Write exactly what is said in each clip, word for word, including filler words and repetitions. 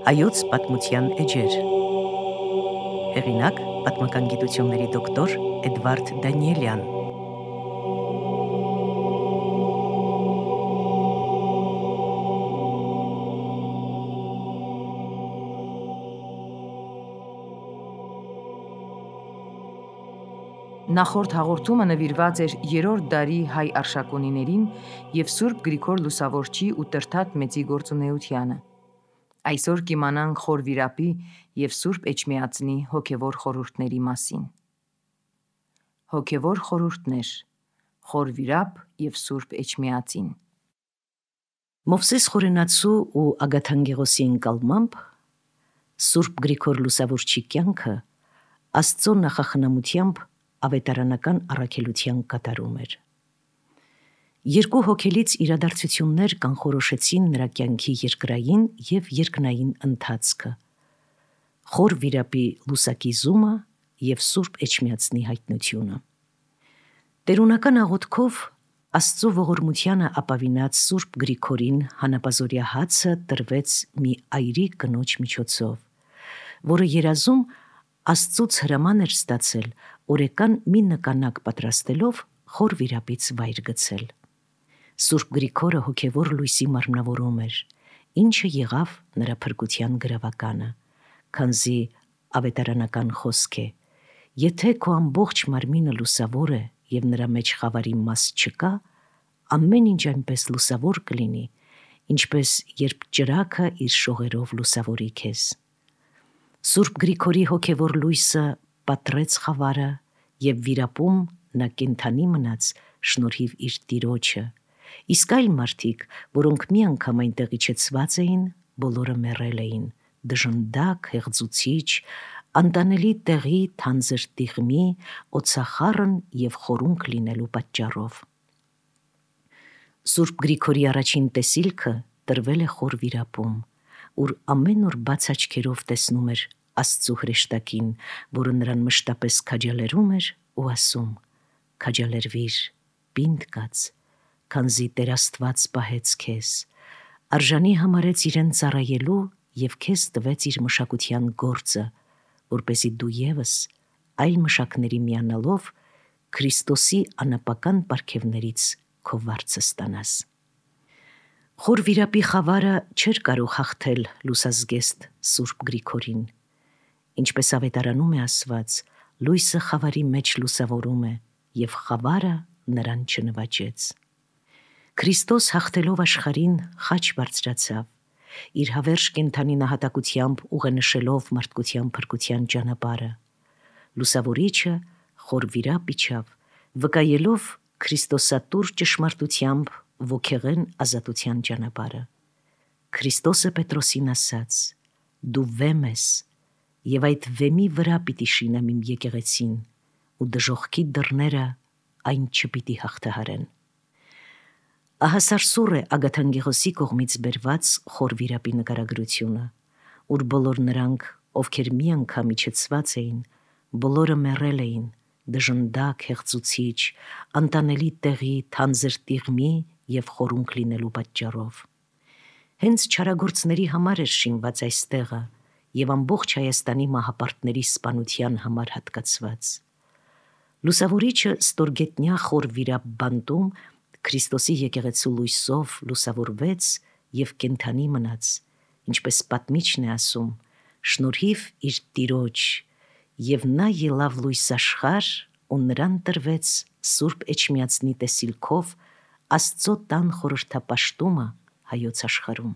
Հայոց պատմության էջեր։ Հեղինակ պատմական գիտությունների դոկտոր Էդվարդ Դանիելյան։ Նախորդ հաղորդումը նվիրված էր երրորդ դարի հայ արշակունիներին և Սուրբ Գրիգոր Լուսավորչի ու Տրդատ Մեծի գործունեությանը։ Այսօր կիմանանք Խոր Վիրապի և Սուրբ Էջմիածնի հոգևոր խորհուրդների մասին։ Հոգևոր խորհուրդներ՝ Խոր Վիրապ և Սուրբ Էջմիածին։ Մովսես Խորենացու ու Ագաթանգեղոսի ընկալմամբ Սուրբ Գրիգոր Լուսավորչի կյանքը Աստծո նախախնամությամբ ավետարանական առաքելության կատարում էր։ Երկու հոգելից իրադարձություններ կանխորոշեցին նրա կյանքի երկրային և երկնային ընթացքը՝ Խոր Վիրապի լուսակիզումը և Սուրբ Էջմիածնի հայտնությունը։ Տերունական աղոթքով Աստծո ողորմությանը ապավինած Սուրբ Գրիգորին հանապազօրյա հացը տրվեց մի այրի կնոջ միջոցով, որը երազում Աստծուց հրաման էր ստացել օրեկան մի նկանակ պատրաստելով Խոր Վիրապից վայր գցել։ Սուրբ Գրիգորը հոգևոր լույսի մարմնավորում էր, ինչը եղավ նրա փրկության գրավականը, քանզի ավետարանական խոսք է. «Եթե քո ամբողջ մարմինը լուսավոր է և նրա մեջ խավարի մաս չկա, ամեն ինչ այնպես լուսավոր կլինի, ինչպես երբ ճրագը իր շողերով լուսավորի քեզ»։ Սուրբ Գրիգորի հոգևոր լույսը պատռեց խավարը և Վիրապում նա կենդանի մնաց շնորհիվ իր Տիրոջը, իսկ այլ մարդիկ, որոնք մի անգամ այնտեղ իջեցված էին, բոլորը մեռել էին դժնդակ, հեղձուցիչ, անտանելի տեղի թանձր տիղմի, օձախառն և խորունկ լինելու պատճառով։ Սուրբ Գրիգորի առաջին տեսիլքը տրվել է Խոր Վիրապում, ուր ամեն օր բաց աչքերով տեսնում էր Աստծո հրեշտակին, որը նրան մշտապես քաջալերում էր ու ասում. «Քաջալերվիր, պինդ կաց, քանզի Տեր Աստված պահեց քեզ, արժանի համարեց իրեն ծառայելու և քեզ տվեց իր մշակության գործը, որպեսզի դու ևս այլ մշակների միանալով Քրիստոսի անապական պարգևներից քո վարձը ստանաս»։ Խոր Վիրապի խավարը չէր կարող հաղթել լուսազգեստ Սուրբ Գրիգորին։ Ինչպես ավետարանում է ասված, լույսը խավարի մեջ լուսավորում է, և խավարը նրան չնվաճեց։ Քրիստոս հաղթելով աշխարհին խաչ բարձրացավ, իր հավերժ կենդանի նահատակությամբ ուղենշելով մարդկության փրկության ճանապարհը։ Լուսավորիչը Խոր Վիրապ իջավ, վկայելով քրիստոսատուր ճշմարտությամբ ոգեղեն ազատության ճանապարհը։ Քրիստոսը Պետրոսին ասաց. «Դու վեմ ես, և այդ վեմի վրա պիտի շինեմ իմ եկեղեցին, ու դժոխքի դռները այն չպիտի հաղթահարեն»։ Ահա սարսուռ է Ագաթանգեղոսի կողմից բերված Խոր Վիրապի նկարագրությունը, ուր բոլոր նրանք, ովքեր մի անգամ իջեցված էին, բոլորը մեռել էին դժնդակ, հեղձուցիչ, անտանելի տեղի թանձր տիղմի և խորունկ լինելու պատճառով։ Հենց չարագործների համար էր շինված այս տեղը և ամբողջ Հայաստանի մահապարտների սպանության համար հատկացված։ Լուսավորիչը ստորգետնյա Խոր Վիրապ բանտում Քրիստոսի եկեղեցու լույսով լուսավորվեց և կենդանի մնաց, ինչպես պատմիչն է ասում, շնորհիվ իր Տիրոջ, և նա ելավ լույս աշխարհ ու նրան տրվեց Սուրբ Էջմիածնի տեսիլքով Աստծո տան խորհրդապաշտումը հայոց աշխարհում։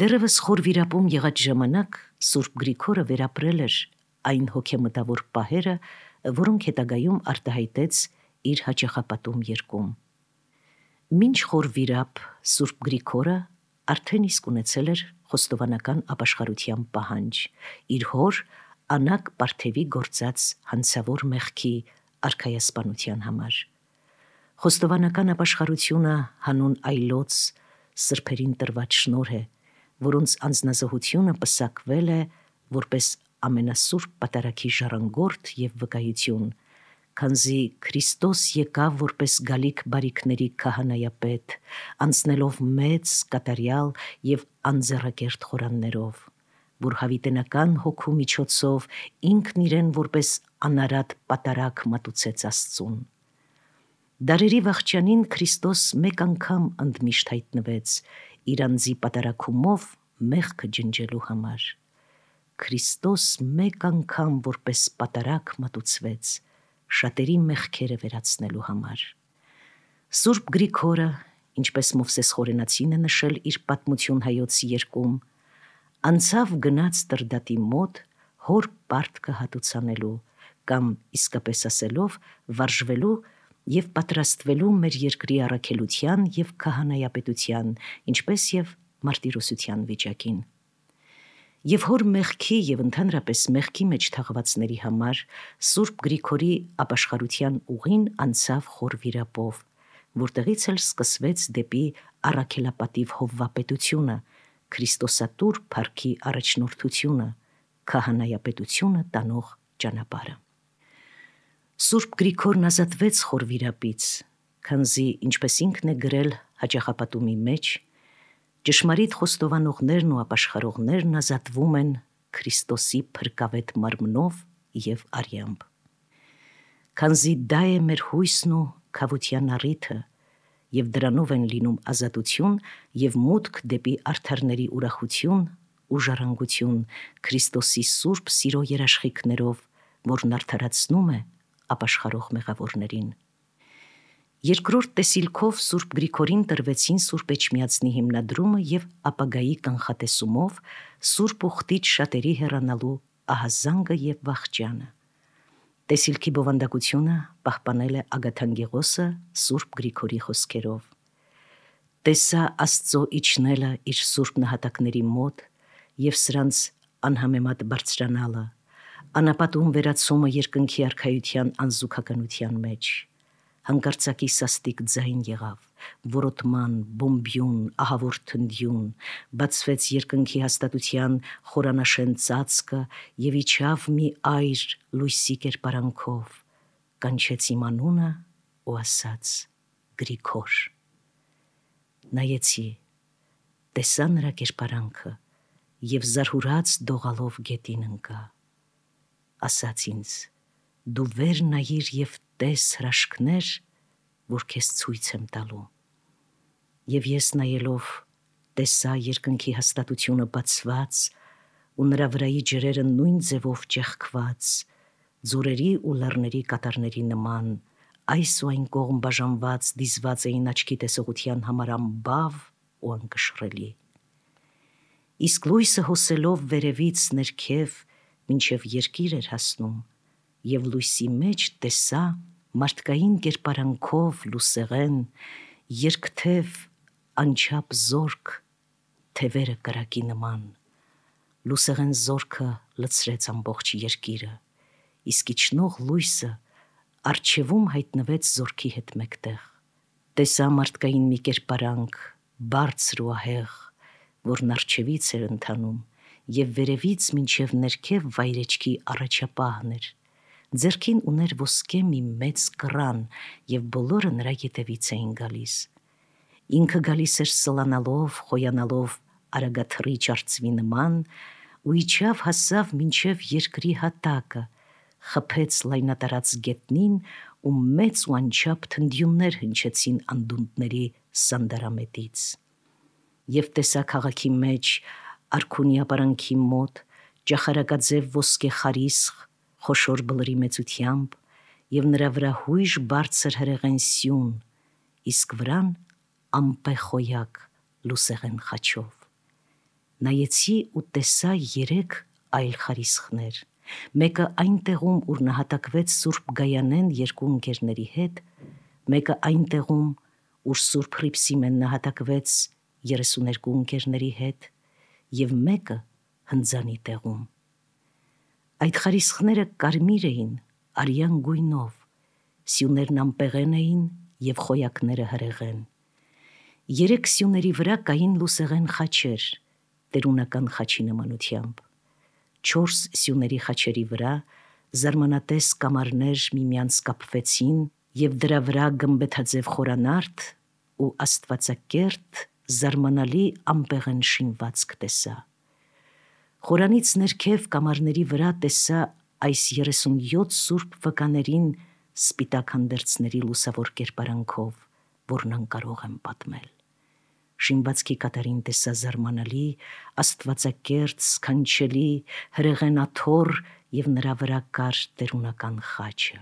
Դեռևս Խոր Վիրապում եղած ժամանակ Սուրբ Գրիգորը վերապրել էր այն հոգեմտավոր պահերը, որոնք հետագայում արտահայտեց իր հաճախապատում երգում։ Մինչ Խոր Վիրապ Սուրբ Գրիգորը արդեն իսկ ունեցել էր խոստովանական ապաշխարության պահանջ իր հոր Անակ Պարթևի գործած հանցավոր մեղքի արքայասպանության համար։ Խոստովանական ապաշխարությունը հանուն այլոց սրբերին տրված շնորհ է, որոնց անձնազոհությունը պսակվել է որպես ամենասուրբ պատարագի ժառանգորդ և վկայություն, քանզի Քրիստոս եկավ որպես գալիք բարիքների քահանայապետ, անցնելով մեծ, կատարյալ եւ անձեռակերտ խորաններով, որ հավիտենական հոգու միջոցով ինքն իրեն որպես անարատ պատարագ մատուցեց Աստծուն։ Դարերի վախճանին Քրիստոս մեկ անգամ ընդմիշտ հայտնվեց իր անձի պատարագումով մեղքը ջնջելու համար։ Քրիստոս մեկ անգամ որպես պատարագ մատուցվեց շատերի մեղքերը վերացնելու համար։ Սուրբ Գրիգորը, ինչպես Մովսես Խորենացին է նշել իր պատմություն հայոց երկում, անցավ գնաց Տրդատի մոտ հոր պարտքը հատուցանելու կամ իսկապես ասելով վարժվելու եւ պատրաստվելու մեր երկրի առաքելության եւ քահանայապետության, ինչպես եւ մարտիրոսության վիճակին։ Եվ հոր մեղքի եւ ընդհանրապես մեղքի մեջ թաղվածների համար Սուրբ Գրիգորի ապաշխարության ուղին անցավ խոր վիրապով, որտեղից էլ սկսվեց դեպի առաքելապատիվ հովվապետությունը, Քրիստոսատուր փառքի առաջնորդությունը, քահանայապետությունը տանող ճանապարհը։ Սուրբ Գրիգորն ազատվեց խոր վիրապից, քանզի ինչպես ինքն է գրել հաճախապատումի մեջ, ճշմարիտ խոստովանողներն ու ապաշխարողներն ազատվում են Քրիստոսի փրկավետ մարմնով եւ արյամբ։ Քանզի դա է մեր հույսն ու քավության առիթը, եւ դրանով են լինում ազատություն եւ մուտք դեպի արդարների ուրախություն ու ժառանգություն Քրիստոսի սուրբ սիրո երաշխիքներով, որն արդարացնում է ապաշխարող մեղավորներին։ Երկրորդ տեսիլքով Սուրբ Գրիգորին տրվեցին Սուրբ Էջմիածնի հիմնադրումը եւ ապագայի կանխատեսումով Սուրբ Ուխտից շատերի հեռանալու ահազանգը եւ վախճանը։ Տեսիլքի բովանդակությունը պահպանել է Ագաթանգեղոսը Սուրբ Գրիգորի խոսքերով։ Տեսա Աստծո իջնելը իր սուրբ նահատակների մոտ եւ սրանց անհամեմատ բարձրանալը, անապատում վերացումը երկնքի արքայության անզուգականության մեջ։ Հանկարծակի սաստիկ ձայն եղավ, որոտման, բոմբյուն, ահավոր թնդյուն, բացվեց երկնքի հաստատության խորանաշեն ծածկը եւ իջավ մի այր լույսի կերպարանքով, կանչեց իմ անունը ու ասաց. Գրիգոր։ Նայեցի, տեսա նրա կերպարանքը եւ զարհուրած դողալով գետին ընկա։ Ասաց ինձ. դու վեր նայիր եւ տես հրաշքներ, որ քեզ ցույց եմ տալու։ Եվ ես նայելով տեսա երկնքի հաստատությունը բացված ու նրա վրայի ջրերը նույն ձևով ճեղքված, ձորերի ու լեռների կատարների նման, այս ու այն կողմ բաժանված դիզված էին աչքի տեսողության համար անբավ ու անկշռելի։ Իսկ լույսը հոսելով վերևից ներքև մինչև երկիր էր հասնում, եւ լույսի մեջ տեսա մարդկային կերպարանքով լուսեղեն, երկթև անչափ զորք, թևերը կրակի նման։ Լուսեղեն զորքը լցրեց ամբողջ երկիրը, իսկ իջնող լույսը առջևում հայտնվեց զորքի հետ մեկտեղ։ Տեսա մարդկային մի կերպարանք, բարձր ու ահեղ, որն առջևից էր ընթանում եւ վերևից մինչև ներքև վայրեջքի առաջապահն էր։ Ձեռքին ուներ ոսկե մի մեծ կռան եւ բոլորը նրա ետևից էին գալիս։ Ինքը գալիս էր սլանալով, խոյանալով արագաթռի ճարծվի նման ու իջավ հասավ մինչև երկրի հատակը, խփեց լայնատարած գետնին ու մեծ ու անչափ թնդյուններ հնչեցին անդունդների սանդարամետից։ Եվ տեսա քաղաքի մեջ արքունի ապարանքի մոտ ճախարակաձև ոսկե խարիսխ խոշոր բլրի մեծությամբ եւ նրա վրա հույժ բարձր հրեղեն սյուն, իսկ վրան ամպեխոյակ լուսեղեն խաչով։ Նայեցի ու տեսա երեք այլ խարիսխներ, մեկը այն տեղում, ուր նահատակվեց Սուրբ Գայանեն երկու ընկերների հետ, մեկը այն տեղում, ուր Սուրբ Հռիփսիմեն նահատակվեց երեսուներկու ընկերների հետ, եւ մեկը հնձանի տեղում։ Այդ խարիսխները կարմիր էին, արյան գույնով, սյուներն ամպեղեն էին եւ խոյակները հրեղեն։ Երեք սյուների վրա կային լուսեղեն խաչեր, տերունական խաչի նմանությամբ։ Չորս սյուների խաչերի վրա Զարմանատես կամարներ միմյանց կապվեցին և դրա վրա գմբեթաձև խորանարդ ու աստվածակերտ զարմանալի ամպեղեն շինվածք տեսա։ Խորանից ներքև կամարների վրա տեսա այս երեսունյոթ սուրբ վկաներին սպիտակ հանդերձների լուսավոր կերպարանքով, որն անկարող եմ պատմել։ Շինվածքի կատարին տեսա զարմանալի, աստվածակերտ, սքանչելի, հրեղեն աթոռ և նրա վրա կար տերունական խաչը։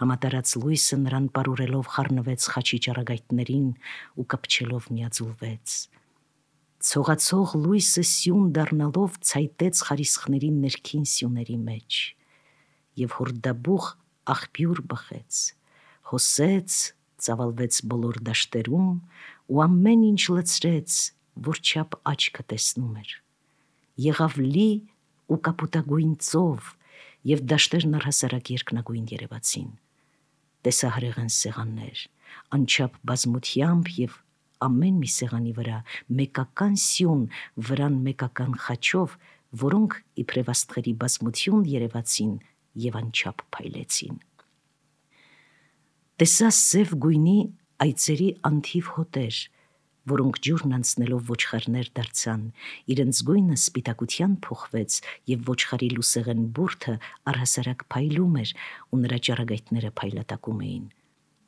Համատարած լույսը նրան պարուրելով խառնվեց խաչի ճառագայթներին ու կպչելով միաձուլվեց։ Ցողացող լույսը սյուն դառնալով ցայտեց խարիսխների ներքին սյուների մեջ և հորդաբուխ աղբյուր բխեց, հոսեց, ծավալվեց բոլոր դաշտերում ու ամեն ինչ լցրեց, որ չափ աչքը տեսնում էր։ Եղավ լի ու կապուտագույն ծով և դաշտերն առհասարակ երկնագույն երևացին։ Տեսա հրեղեն սեղաններ, անչափ բազմությամբ և ամեն մի սեղանի վրա մեկական սյուն, վրան մեկական խաչով, որոնք իբրև աստղերի բազմություն երևացին և անչափ փայլեցին։ Տեսա սև գույնի այծերի անթիվ հոտեր, որոնք ջուրն անցնելով ոչխարներ դարձան, իրենց գույնը սպիտակության փոխվեց և ոչխարի լուսեղեն բուրդը առհասարակ փայլում էր ու նրա ճառագայթները փայլատակում էին։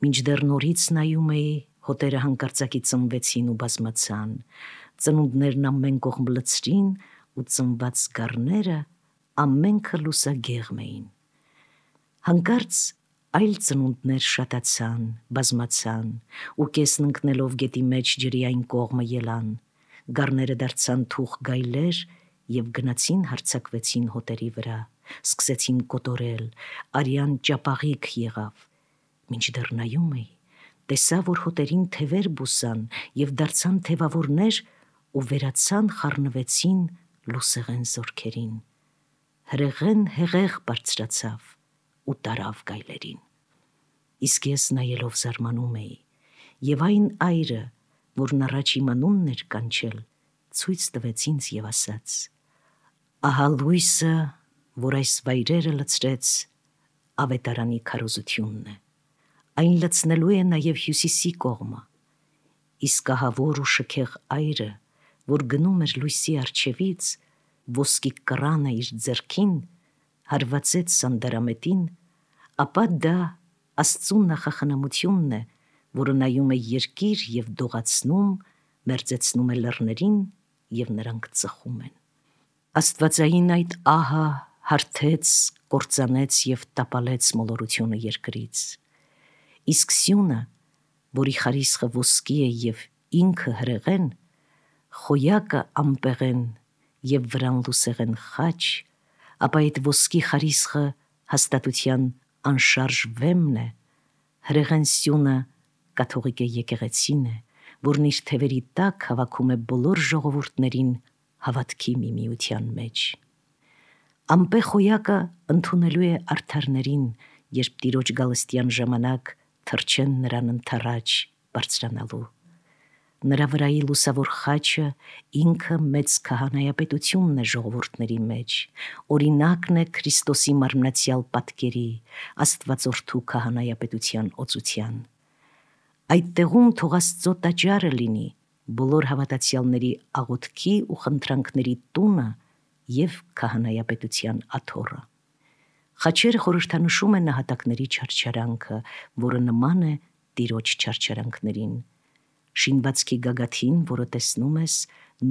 Մինչդեռ նորից նայում էի, հոտերը հանկարծակի ծնվեցին ու բազմացան, ծնունդներն ամեն կողմ լցրին ու ծնված գառները ամենքը լուսագեղմ էին։ Հանկարծ այլ ծնունդներ շատացան, բազմացան ու կեսն ընկնելով գետի մեջ ջրի այն կողմը ելան, գառները դարձան թուխ գայլեր և գնացին հարձակվեցին հոտերի վրա, սկսեցին կոտորել, արյան ճապաղիկ եղավ։ Մինչդեռ նայում էի, տեսա, որ հոտերին թևեր բուսան և դարձան թևավորներ ու վերացան խառնվեցին լուսեղեն զորքերին։ Հրեղեն հեղեղ բարձրացավ ու տարավ գայլերին։ Իսկ ես նայելով զարմանում էի, և այն այրը, որն առաջ իմ անունն էր կանչել, ցույց տվեց ինձ և ասաց. «Ահա լույսը, որ այս վայրերը լցրեց, ավետարանի քարոզությունն է։ Այն լցնելու է նաև հյուսիսի կողմը, իսկ ահավոր ու շքեղ այրը, որ գնում էր լույսի առջևից, ոսկի կռանը իր ձեռքին, հարվածեց սանդարամետին, ապա դա Աստծու նախախնամությունն է, որը նայում է երկիր և դողացնում, մերձեցնում է լեռներին և նրանք ծխում են։ Աստվածային այդ ահը հարթեց, կործանեց և տապալեց մոլորությունը երկրից։ Իսկ սյունը, որի խարիսխը ոսկի է և ինքը հրեղեն, խոյակը ամպեղեն և վրան լուսեղեն խաչ, ապա այդ ոսկի խարիսխը հաստատության անշարժ վեմն է, հրեղեն սյունը կաթողիկե եկեղեցին է, որն իր թևերի տակ հավաքում է բոլոր ժողովուրդներին հավատքի միմիության մեջ։ Ամպե խոյակը ընդունելու է արդարներին, երբ Տիրոջ գալստյան ժամանակ թռչեն նրան ընդառաջ բարձրանալու։ Նրա վրայի լուսավոր խաչը ինքը մեծ քահանայապետությունն է ժողովուրդների մեջ, օրինակն է Քրիստոսի մարմնացյալ պատկերի, Աստվածորդու քահանայապետության օծության։ Այդ տեղում թող Աստծո տաճարը լինի, բոլոր հավատացյալների աղոթքի ու խնդրանքների տունը և քահանայապետության աթոռը։ Խաչերը խորհրդանշում են նահատակների չարչարանքը, որը նման է Տիրոջ չարչարանքներին։ Շինվածքի գագաթին, որը տեսնում ես,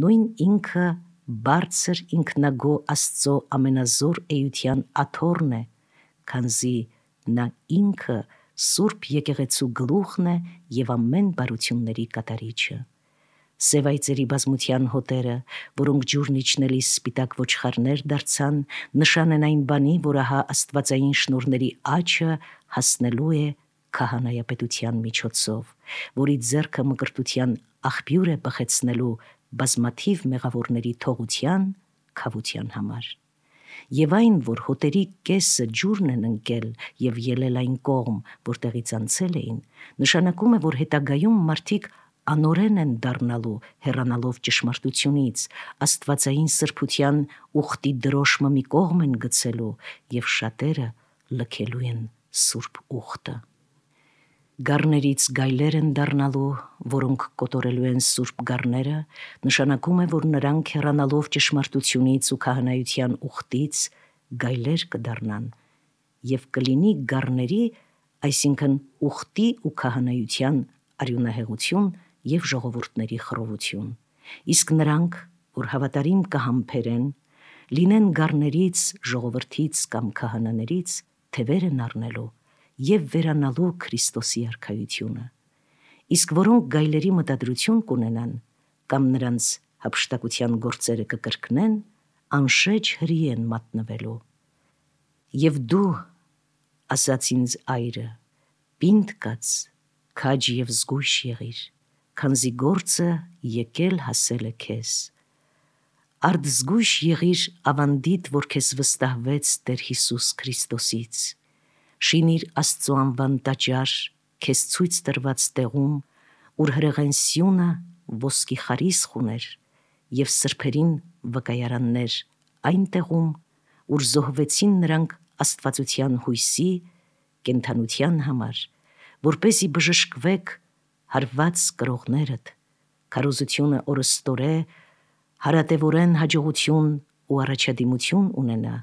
նույն ինքը բարձր ինքնագո Աստծո ամենազոր էության աթոռն է, քանզի նա ինքը Սուրբ եկեղեցու գլուխն է և ամեն բարությունների կատարիչը։ Սև այծերի բազմության հոտերը, որոնք ջուրն իջնելիս սպիտակ ոչխարներ դարձան, նշան են այն բանի, որ ահա աստվածային շնորհների աճը հասնելու է քահանայապետության միջոցով, որի ձեռքը մկրտության աղբյուր է բխեցնելու բազմաթիվ մեղավորների թողության, քավության համար։ Եվ այն, որ հոտերի կեսը ջուրն են ընկել և ելել այն կողմ, որտեղից անցել էին, նշանակում է, որ հետագայում մարդիկ անորեն են դառնալու հեռանալով ճշմարտությունից, աստվածային սրբության ուխտի դրոշմը մի կողմ են գցելու եւ շատերը լքելու են սուրբ ուխտը։ Գառներից գայլեր են դառնալու, որոնք կոտորելու են սուրբ գառները, նշանակում է, որ նրանք հեռանալով ճշմարտությունից ու քահանայության ուխտից գայլեր կդառնան եւ կլինի գառների, այսինքն ուխտի ու քահանայության արյունահեղություն եւ ժողովուրդների խռովություն։ Իսկ նրանք, որ հավատարիմ կհամբերեն, լինեն գառներից, ժողովրդից կամ քահանաներից, թևեր են առնելու եւ վերանալու Քրիստոսի արքայությունը։ Իսկ որոնք գայլերի մտադրություն կունենան կամ նրանց հափշտակության գործերը կկրկնեն, անշեջ հրի են մատնվելու։ Եվ դու, ասաց ինձ այրը, պինդ կաց, քաջ եւ զգույշ եղիր, քանզի գործը եկել հասել է քեզ։ Արդ զգույշ եղիր ավանդիդ, որ քեզ վստահվեց Տեր Հիսուս Քրիստոսից։ Շինիր Աստծո անվան տաճար քեզ ցույց տրված տեղում, ուր հրեղեն սյունը ոսկի խարիսխ ուներ եւ սրբերին վկայարաններ այն տեղում, ուր զոհվեցին նրանք աստվածության հույսի, կենդանության համար, որպեսզի բժշկվեք հարված կրողներդ, քարոզությունը օրստորե, հարատևորեն հաջողություն ու առաջադիմություն ունենա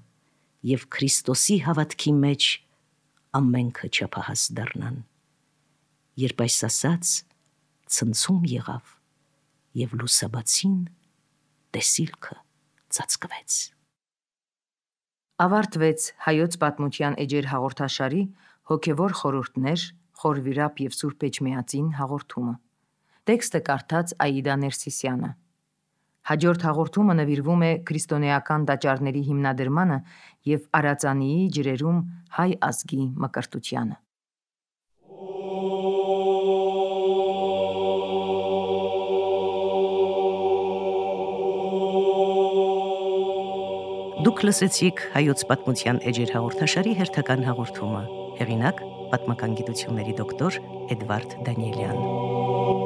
եւ Քրիստոսի հավատքի մեջ ամենքը չափահաս դառնան։ Երբ այս ասաց, ցնցում եղավ եւ լուսաբացին տեսիլքը ծածկվեց։ Ավարտվեց հայոց պատմության էջեր հաղորդաշարի հոգևոր խորհուրդներ Խոր Վիրապ եւ Սուրբ Էջմիածին հաղորդումը։ Տեքստը կարդաց Աիդա Ներսիսյանը։ Հաջորդ հաղորդումը նվիրվում է քրիստոնեական տաճարների հիմնադրմանը եւ Արածանիի ջրերում հայ ազգի մկրտությանը։ Դուք լսեցիք հայոց պատմության էջեր հաղորդաշարի հերթական հաղորդումը։ Հեղինակ՝ պատմական գիտությունների դոկտոր Էդվարդ Դանիելյան։